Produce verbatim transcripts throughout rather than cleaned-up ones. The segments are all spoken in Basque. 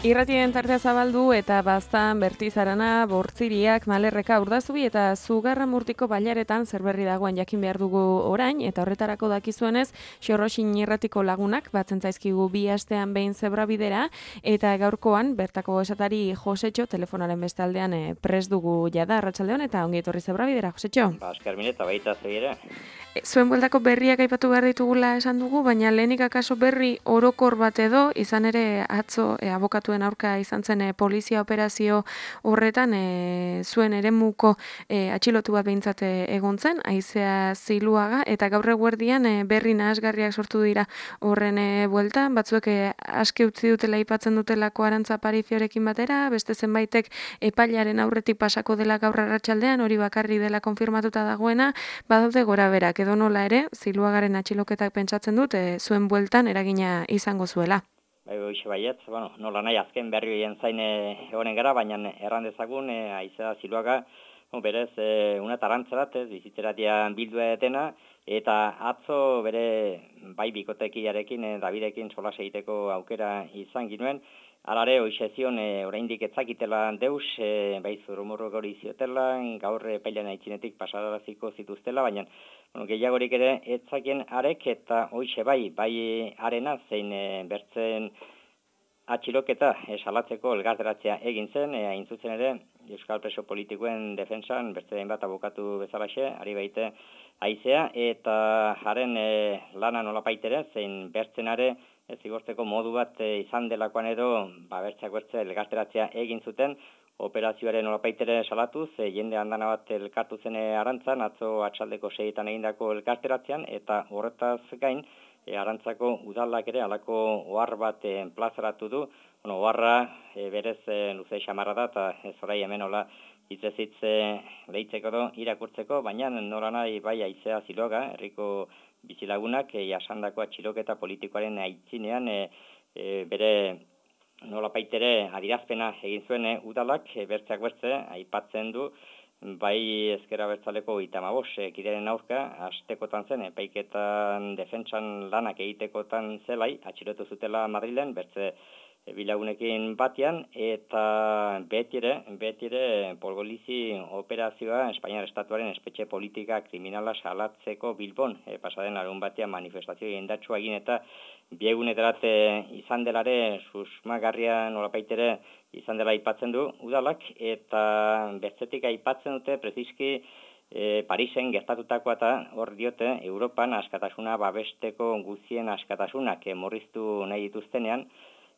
Irratien tartea zabaldu eta baztan Bertizarana, Bortziriak, Malerreka, Urdazubi eta Zugarramurtiko bailaretan zer berri dagoen jakin behar dugu orain, eta horretarako dakizuenez, Xorroxin irratiko lagunak batzen zaizkigu bi astean behin zebrabidera, eta gaurkoan bertako esatari Josetxo telefonaren bestaldean e, pres dugu jada arratsaldeon eta ongi etorri zebrabidera, Josetxo. Ba, eskermin eta baita zeire. Zuen bueltako berriak aipatu behar ditugula esan dugu, baina lehenik akaso berri orokor bat edo, izan ere atzo e, abokatuen aurka izan zen e, polizia operazio horretan e, zuen eremuko e, atxilotu bat behintzat egon zen, Aizea Ziluaga, eta gaur eguerdian e, berri nahasgarriak sortu dira horren e, bueltan, batzuek e, aske utzi dutela aipatzen dutelako Arantza Apariziorekin batera, beste zenbaitek epailaren aurretik pasako dela gaur arratsaldean, hori bakarri dela konfirmatuta dagoena, badaude gora berak, edo nola ere, Ziluagaren atxiloketak pentsatzen dut, e, zuen bueltan eragina izango zuela. Bai, hoxe baiet, bueno, nola nahi azken berri horien zain egonen gara, baina erran dezagun, e, Aizea Ziluaga, no, berez, e, una tarantzarat, ez, bizitzeratia bildua etena, eta atzo bere bai bikotekiarekin, e, Davidekin solas egiteko aukera izan ginuen, alare, hoxe zion, e, oraindik etzakitela deus, e, bai zurumurrok hori ziotela, gaur epailean aitzinetik pasaraziko zituztela, baina bueno, gehiagorik ere etzakien arek eta hoxe bai, bai arena zein e, bertzen atxiloketa e, salatzeko elgarderatzea egin zen, e, hain zuzen ere Euskal Preso Politikoen defensan, bertze hainbat abokatu bezalaxe, ari baite Aizea, eta haren e, lana nolapaitere, zein bertzenare ez zigortzeko modu bat e, izan delakoan edo, ba, bertzeak bertze elgarderatzea egin zuten, operazioaren nolapaitere salatuz, e, jende handana bat elkartu zen Arantzan, atzo atxaldeko seietan egindako elkarteratzean, eta horretaz gain, e, Arantzako udalak ere alako ohar bat e, plazaratu du, bueno, oharra e, berez e, luze xamarra da, eta ez orai hemen hola hitzezitz e, lehitzeko do, irakurtzeko, baina nola nahi bai Aizea Ziluaga, herriko bizilagunak, e, jasandako atxiloketa politikoaren aitzinean, e, e, bere nola paitere adirazpena egin zuen e, udalak, e, bertzeak bertze, aipatzen du, bai ezkera bertzaleko itamabos, e, kideren aurka, astekotan zen, epaiketan defentsan lanak egitekotan zelai, atxilotu zutela Madrilen, bertze e, bilagunekin batean, eta betire, betire polgolizi operazioa Espainiar Estatuaren espetxe politika kriminala salatzeko Bilbon, e, pasaden larun batean manifestazio indartsua egin eta bieguneterat izan delare susmagarria nolapaitere izan dela aipatzen du udalak, eta bertzetik aipatzen dute preziski e, Parisen gertatutakoa eta hor diote Europan askatasuna babesteko guzien askatasunak e, morriztu nahi dituztenean,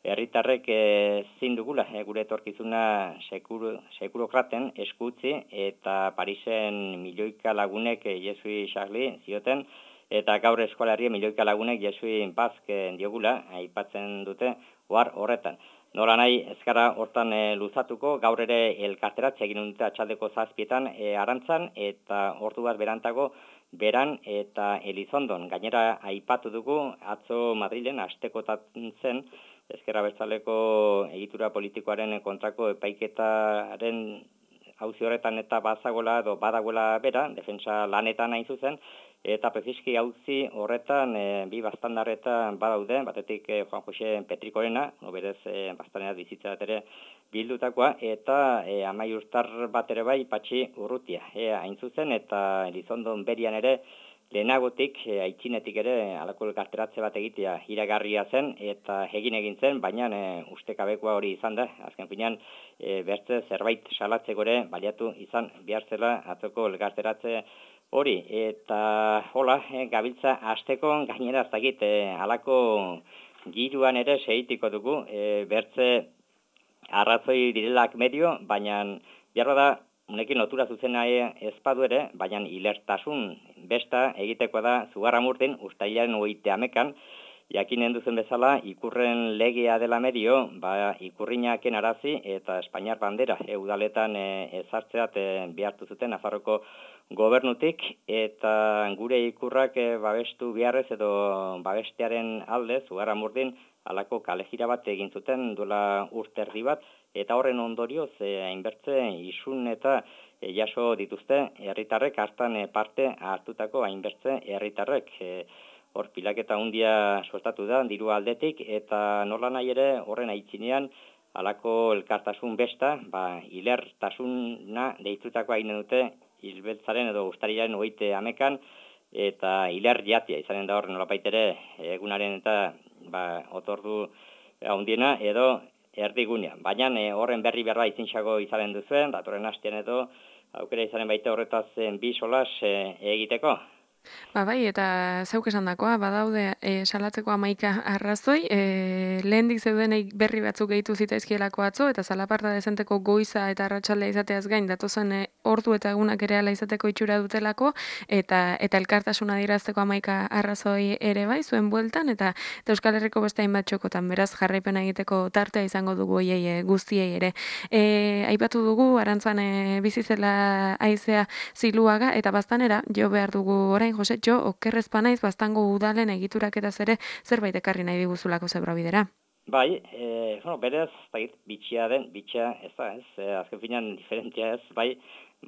herritarrek ezin dugula e, gure etorkizuna sekuru, sekurokraten eskutzi eta Parisen milioika lagunek e, Jesui Charlie zioten, eta gaur eskualarria milioika lagunek Jesui Bazk diogula, aipatzen dute ohar horretan. Nola nahi ezkara hortan e, luzatuko, gaur ere elkarteratzea egin dute atxaldeko zazpietan e, Arantzan, eta ordu bat berantago Beran eta Elizondon. Gainera aipatu dugu, atzo Madrilen astekotan zen, ezkerra bertzaleko egitura politikoaren kontrako epaiketaren auzi horretan eta bazagola edo badagoela bera, defensa lanetan hain zuzen, eta preziski auzi horretan e, bi bastandarretan badaude, batetik e, Juan Jose Petrikorena, no berez e, bastanera bizitza bat ere bildutakoa, eta e, amaiurtar bat ere bai Patxi Urrutia, e, hain zuzen, eta Elizondon berian ere lehenagotik, e, aitzinetik ere alako elkarteratze bat egitea iragarria zen, eta egin egin zen, baina e, ustekabekoa hori izan da, azken finean e, bertze zerbait salatzeko ere baliatu izan behar zela atzoko elkarteratze hori, eta hola, e, gabiltza asteko gainera ez dakit, e, alako giruan ere segitiko dugu, e, bertze arrazoi direlak medio, baina behar da, unekin lotura zuzena ezpadu ere, baina hilertasun besta egiteko da Zugarramurtin, ustailaren hogeita hamekan, jakinen duzen bezala, ikurren legea dela medio, ba, ikurrinaken arazi eta Espainiar bandera, e, udaletan e, ezartzeat e, behartu zuten Nafarroko gobernutik, eta gure ikurrak e, babestu beharrez edo babestearen alde, Zugarramurtin, alako kalejira bat egin zuten duela urte erdi bat, eta horren ondorioz e, hainbertze isun eta e, jaso dituzte herritarrek hartan e, parte hartutako hainbertze herritarrek. E, hor pilaketa hundia suertatu da, diru aldetik, eta nola nahi ere horren aitzinean halako elkartasun besta, ba, hilertasuna deitutakoa egin dute hilbeltzaren edo ustarilaren hogeite hamekan, eta hiler jatia izanen da hor nolapait ere egunaren eta ba, otordu handiena edo erdigunea. Baina e, horren berri berba izintxago izanen duzuen, datorren hastean edo aukera izanen baita horretaz bi solas e, egiteko. Ba bai, eta zeuk esan dakoa, badaude e, salatzeko hamaika arrazoi, e, lehendik zeudenei berri batzuk gehitu zitaizkielako atzo, eta zalaparta dezenteko goiza eta arratsaldea izateaz gain, datozen e, ordu eta egunak ere ala izateko itxura dutelako, eta eta elkartasuna dirazteko hamaika arrazoi ere bai, zuen bueltan, eta, eta Euskal Herriko beste hainbat txokotan, beraz jarraipena egiteko tartea izango dugu hoiei e, guztiei ere. E, aipatu dugu, arantzan e, bizizela aizea ziluaga, eta baztanera, jo behar dugu orain, Jose, jo, okerrez panaiz, baztango udalen egituraketaz ere zerbait ekarri nahi diguzulako zebrabidera. Bai, e, bueno, berez, bitxia den, bitxia ez da, ez, e, azken finan diferentzia ez, bai,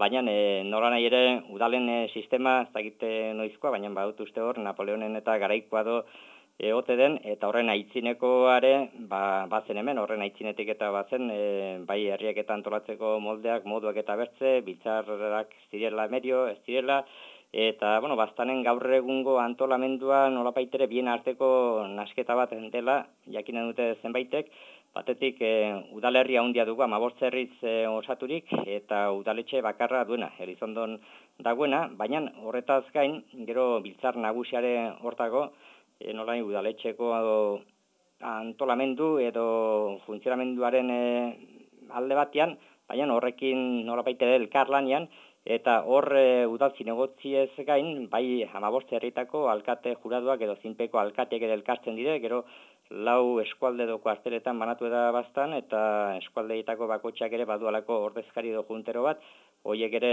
baina e, nola nahi ere udalen e, sistema ez da egite noizkoa, baina badut uste hor, Napoleonen eta garaikoa do egote den, eta horren aitzinekoare, ba, bazen hemen, horren aitzinetik eta bazen, e, bai herriak eta antolatzeko moldeak, moduak eta bertze, biltzarrak zirela medio, ez zirela, eta, bueno, baztanen gaur egungo antolamendua nolapaitere bien arteko nasketa bat dela, jakinen dute zenbaitek, batetik e, udalerri handia dugu, hamabost herriz e, osaturik, eta udaletxe bakarra duena, Elizondon dagoena, baina horretaz gain, gero biltzar nagusiare hortago, e, nolain udaletxeko antolamendu edo funtzionamenduaren e, alde batean, baina horrekin nolapaitere elkarlanean, eta hor e, udal zinegotziez gain, bai hamabost herritako alkate juraduak edo zinpeko alkateak ere elkartzen dire, gero lau eskualde doko arteretan banatu da bastan, eta eskualdeitako bakotxeak ere badualako ordezkari edo juntero bat, hoiek ere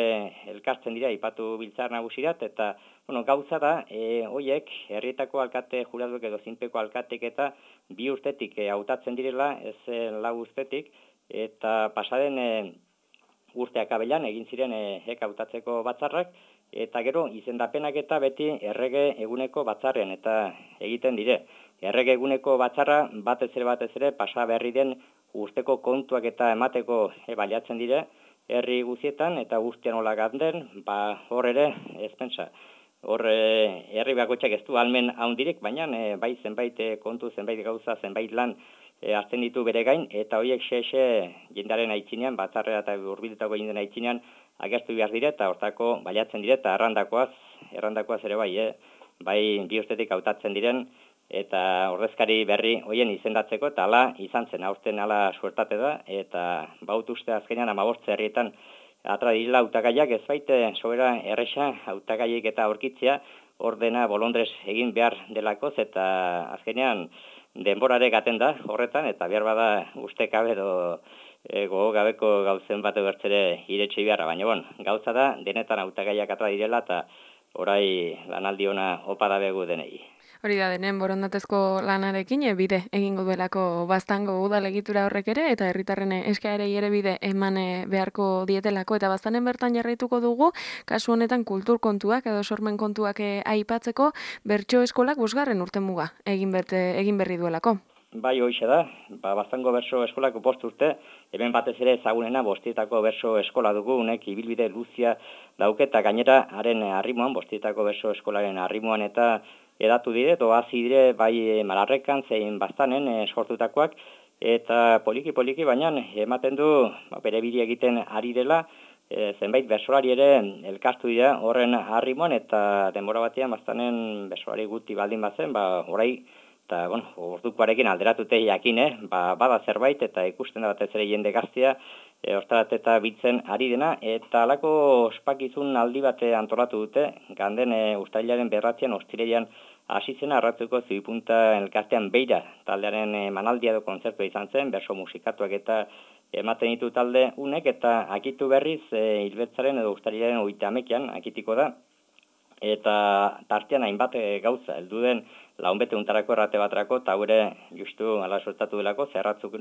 elkartzen dira, ipatu biltzar nagusirat, eta bueno, gauza da, e, hoiek herrietako alkate juraduak edo zinpeko alkatek eta bi urtetik e, hautatzen direla, ez e, lau urtetik, eta pasaden e, urteak abelan egin ziren e, hek hautatzeko batzarrak, eta gero izendapenak eta beti errege eguneko batzarrean eta egiten dire. Errege eguneko batzarra batez ere batez ere pasa berri den urteko kontuak eta emateko e, baliatzen dire herri guztietan eta guztian hola ganden, ba hor ere ez pentsa. Hor e, herri bakotxak ez du almen haundirik, baina e, bai zenbait e, kontu, zenbait gauza, zenbait lan E, hartzen ditu bere gain, eta horiek xe-xe jendaren aitzinean, batzarrera eta urbiltako jendaren aitzinean agertu behar dire, eta hortako baliatzen dire, eta errandakoaz, errandakoaz ere bai, eh? bai bi urtetik hautatzen diren, eta ordezkari berri hoien izendatzeko, eta ala izan zen, aurten ala suertate da, eta baut uste azkenean hamabost herrietan atra direla hautagaiak, ez baite sobera erresa hautagaiek eta aurkitzea, ordena bolondrez egin behar delakoz, eta azkenean denborare gaten da horretan, eta behar bada ustekabe edo e, gogo gabeko gauzen bat bertzere iretsi beharra, baina bon, gauza da, denetan hautagaiak atra direla, eta orai lanaldi ona opa da begu denei. Hori da denen borondatezko lanarekin e, bide egingo duelako baztango udal egitura horrek ere, eta herritarren eskaerei ere bide eman beharko dietelako, eta baztanen bertan jarraituko dugu, kasu honetan kultur kontuak edo sormen kontuak e, aipatzeko, bertso eskolak bosgarren urte muga egin, berte, egin berri duelako. Bai, hoixe da, ba, baztango berso eskolako bost urte, hemen batez ere ezagunena bostietako berso eskola dugu, unek ibilbide luzia dauketa gainera haren arrimoan, bostietako berso eskolaren arrimoan eta edatu dire, doazi dire bai Malarrekan zein baztanen e, sortutakoak, eta poliki-poliki baina ematen du ba, bere bide egiten ari dela, e, zenbait bersolari ere elkartu dira horren arrimoan, eta denbora batean baztanen bersolari guti baldin bazen, ba, orai, eta, bueno, ordukoarekin alderatute jakin, eh? ba, bada zerbait, eta ikusten da batez ere jende gaztia, e, ostarat eta bitzen ari dena, eta alako ospakizun aldi bate antolatu dute, ganden e, ustailaren berratzean, ostireian hasizena arratzuko zibipunta elkartean beira, taldearen e, manaldia edo kontzertua izan zen, berso musikatuak eta ematen ditu talde unek, eta akitu berriz, e, hilbetzaren edo ustailaren oita amekian, akitiko da, eta tartean hainbat e, gauza, heldu den launbete untarako errate batrako, eta gure justu ala sortatu delako, zerratzuk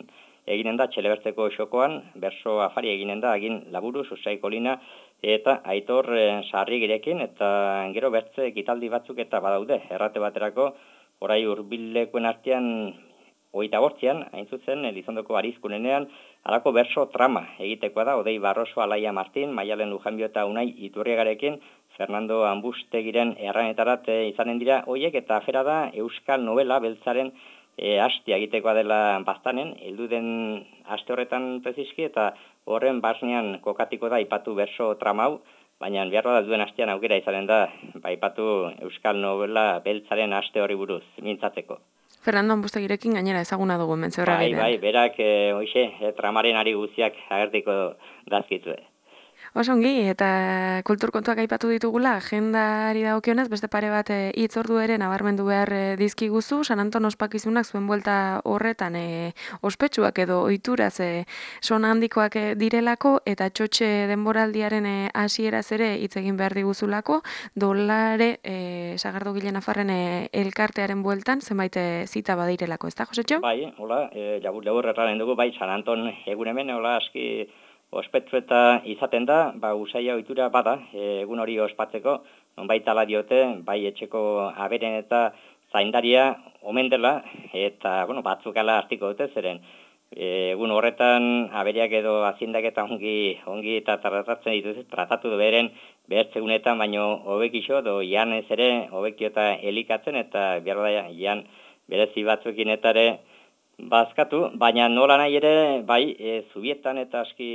eginen da txelebertzeko xokoan, berso afari eginen da, agin laburu, susai kolina, eta aitor e, sarri girekin, eta gero bertze ekitaldi batzuk eta badaude, errate baterako, orai hurbilekoen artean hogeita bortzian, hain zuzen, Elizondoko arizkunenean, halako berso trama egitekoa da, Odei Barroso, Alaia Martin, Maialen Lujanbio eta Unai Iturriagarekin, Fernando Ambustegiren erranetarat izanen dira hoiek, eta afera da euskal novela beltzaren e, hastia egitekoa dela baztanen, heldu den aste horretan preziski, eta horren basnean kokatiko da ipatu berso trama hau, baina behar da duen hastean aukera izanen da, ba, ipatu euskal novela beltzaren haste horri buruz, mintzatzeko. Fernando Ambustegirekin gainera ezaguna dugu hemen zehorra Bai, bai, berak, e, hoxe, e, tramaren ari guztiak agertiko dazkitzue. Osongi, eta kultur kontuak aipatu ditugula, agendari dagokionez, beste pare bat hitz ordu ere nabarmendu behar e, dizkiguzu, San Anton ospakizunak zuen buelta horretan e, ospetsuak edo ohituraz e, sona handikoak e, direlako, eta txotxe denboraldiaren e, hasieraz ere hitz egin behar diguzulako, dolare e, Sagardogile Nafarren e, elkartearen bueltan, zenbait e, zita badirelako, ez da, Josetxo? Bai, hola, e, labur labur erraren dugu, bai, San Anton egun hemen, hola, aski ospetsu eta izaten da, ba, usaia ohitura bada, e, egun hori ospatzeko, nonbait ala diote, bai etxeko aberen eta zaindaria omen dela, eta, bueno, batzuk ala hartiko dute, zeren, e, egun horretan aberiak edo aziendak eta ongi, ongi eta tratatzen dituz, tratatu du beren, behertzegunetan, baino hobekixo, do ian ez ere, hobekio eta elikatzen, eta behar da, ian berezi batzuekin eta ere, bazkatu, baina nola nahi ere, bai, e, zubietan eta aski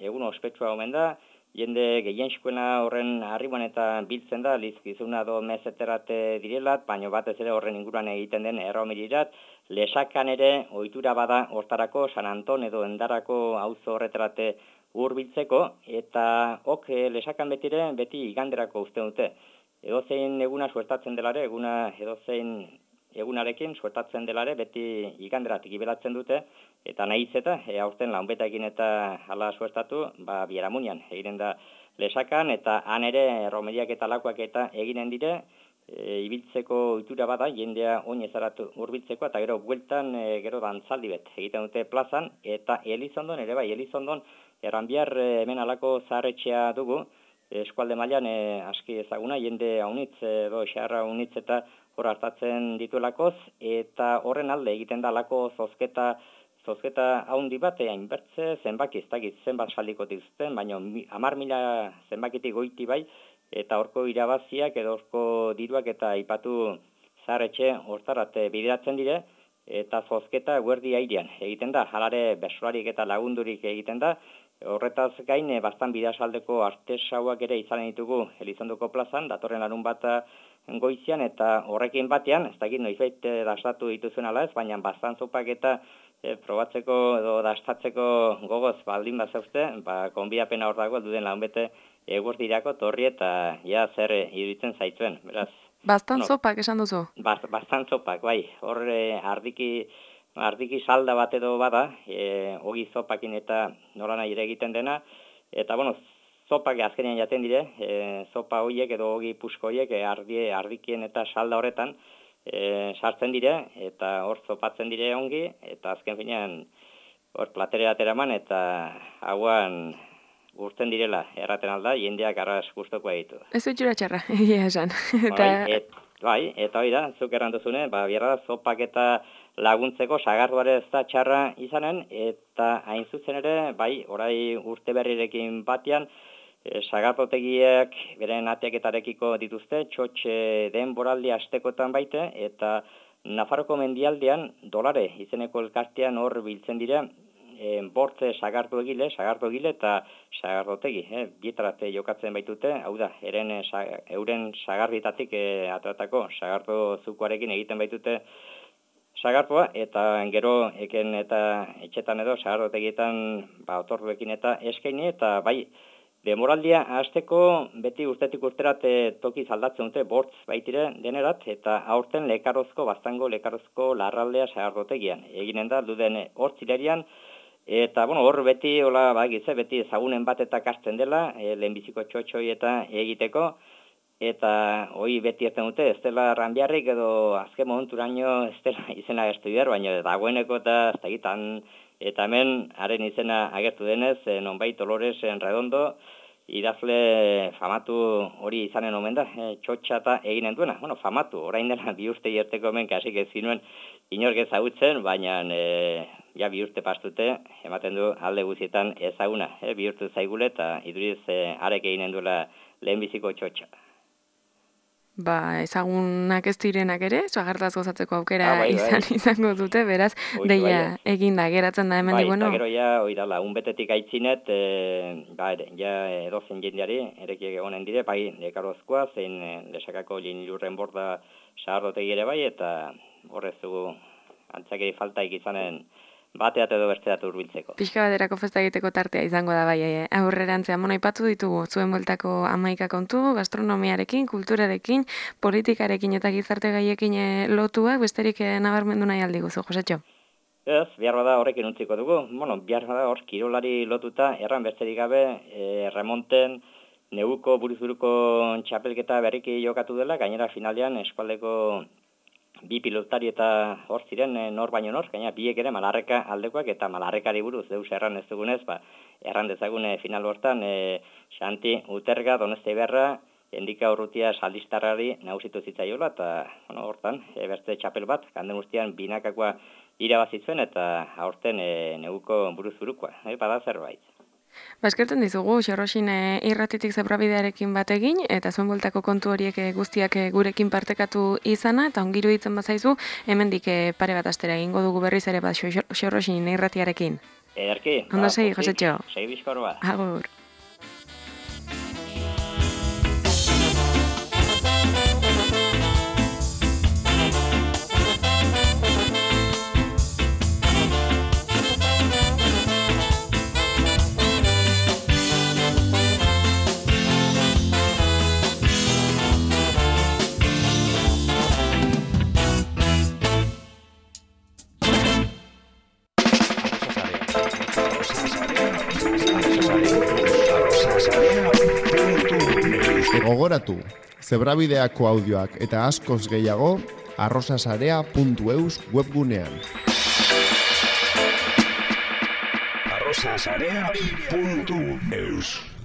egun ospetsua omen da, jende gehienxkoena horren arriban eta biltzen da, lizkizuna do mezeterate direlat, baina batez ere horren inguruan egiten den erromirirat, lesakan ere ohitura bada hortarako San Anton edo endarako auzo horretarate hurbiltzeko, eta ok lesakan betire beti iganderako uste dute. Edozein eguna suertatzen delare, eguna edozein egunarekin suertatzen delare beti iganderatik ibelatzen dute, eta nahiz eta e, aurten launbetaekin eta hala suertatu, ba, Biaramunian egiten da lesakan, eta han ere romeriak eta lakoak eta eginen dire, e, ibiltzeko ohitura bada, jendea oin ezaratu hurbiltzeko, eta gero bueltan e, gero dantzaldi bet egiten dute plazan, eta Elizondon ere bai, Elizondon erranbiar e, hemen alako zaharretxea dugu, eskualde mailan e, aski ezaguna, jende haunitz edo xarra haunitz eta hor hartatzen dituelakoz, eta horren alde egiten da lako zozketa, zozketa haundi bat, hainbertze zenbaki, ez dakit zenbat saldiko dituzten, baina hamar mila zenbakitik goiti bai, eta horko irabaziak edo horko diruak eta aipatu zaharretxe hortarat bideratzen dire, eta zozketa guerdi airean egiten da, jalare besolarik eta lagundurik egiten da, horretaz gain, bastan bidasaldeko artesauak ere izanen ditugu Elizondoko plazan, datorren larun bat goizian, eta horrekin batean, ez dakit noizbait dastatu dituzuen ala ez, baina bastan zopak eta e, probatzeko edo dastatzeko gogoz baldin bat zauzte, ba, konbiapena hor dago, duden launbete egurdirako torri eta ja zer iruditzen zaitzuen, beraz. Bastan No, zopak esan duzu? Bast, bastan zopak, bai, hor e, ardiki, ardiki salda bat edo bada, e, ogi zopakin eta nola nahi ere egiten dena, eta bueno, zopak azkenean jaten dire, e, zopa hoiek edo ogi pusko hoiek e, ardi, ardikien eta salda horretan e, sartzen dire, eta hor zopatzen dire ongi, eta azken finean hor platerera ateraman, eta hauan urten direla, erraten alda, jendeak arras guztokoa ditu. Ez utxura txarra, egia esan. Bai, et, bai, eta hori da, zuk erranduzune, ba, bierra da, zopak eta laguntzeko sagarduare ez da txarra izanen, eta hain zuzen ere, bai, orai urte berrirekin batean, e, sagardotegiak beren ateaketarekiko dituzte, txotxe denboraldi astekotan baite, eta Nafarroko mendialdean dolare izeneko elkartean hor biltzen dira, E, bortze sagardo egile, sagardo egile eta sagardotegi, eh, bietarate jokatzen baitute, hau da, eren, sa, euren sagarditatik e, atratako sagardo zukoarekin egiten baitute sagardoa, eta gero eken eta etxetan edo sagardotegietan ba, otorduekin eta eskaini, eta bai, demoraldia hasteko beti urtetik urterat e, toki aldatzen dute bortz baitire denerat, eta aurten lekarozko, bastango lekarozko larraldea sagardotegian. Eginen da, duden hortzilerian, eta, bueno, hor beti, hola, bagize, beti ezagunen bat eta kasten dela, e, lehenbiziko txotxoi eta egiteko, eta hoi beti ezten dute, ez dela ranbiarrik edo azken momenturaino ez dela izena gertu behar, baina dagoeneko eta ez dakitan, eta hemen haren izena agertu denez, e, nonbait Dolores en Redondo, idazle famatu hori izanen omen da, e, txotxata eginen duena. Bueno, famatu, orain dela bi urte jerteko hemen kasik ez zinuen inork ezagutzen, baina e, ja bi urte pastute, ematen du alde guzietan ezaguna, e, bi urte zaigule eta iduriz e, arek eginen duela lehenbiziko txotxa. Ba, ezagunak ez direnak ere, sagartaz gozatzeko aukera ah, bai, izan bai. izango dute, beraz, Oizu, deia bai, eginda, geratzen da hemen bai, di, bueno. Bai, eta gero ja, oidala, unbetetik aitzinet, e, ba, ere, ja edozen jendeari, erekiek egonen dire, bai, dekarozkoa, zein e, lesakako linilurren borda sagardotek ere bai, eta horrez dugu antzakeri faltaik izanen bateat edo besteat hurbiltzeko. Pixka baterako festa egiteko tartea izango da bai, aurrerantzean. Bueno, aipatu ditugu zuen bueltako hamaika kontu, gastronomiarekin, kulturarekin, politikarekin eta gizarte gaiekin lotuak, besterik nabarmendu nahi aldiguzu, Josetxo? Ez, behar bada horrekin untziko dugu. Bueno, behar bada hor kirolari lotuta, erran besterik gabe, e, remonten, neguko buruzuruko txapelketa berriki jokatu dela, gainera finalean eskualdeko bi pilotari eta hor ziren e, nor baino nor, gaina biek ere Malarreka aldekoak eta Malarrekari buruz deus erran ez dugunez, ba, erran dezagun e, final hortan e, Xanti Uterga, Doneste Iberra, Endika Urrutia Saldistarrari nagusitu zitzaiola eta bueno, hortan e, beste txapel bat, kanden guztian binakakoa irabazitzen eta aurten e, neguko buruz-burukoa, e, bada zerbait. Ba, eskertzen dizugu, Xerroxin e, irratitik zebrabidearekin bat egin, eta zuen bueltako kontu horiek e, guztiak e, gurekin partekatu izana, eta ongiru ditzen bazaizu, hemendik e, pare bat astera egingo dugu berriz ere bat Xerroxin irratiarekin. Ederki. Ondo segi, Josetxo. Segi bizkor bat. Agur. Gogoratu, zebrabideako audioak eta askoz gehiago arrosasarea puntu eus webgunean. arrosasarea puntu eus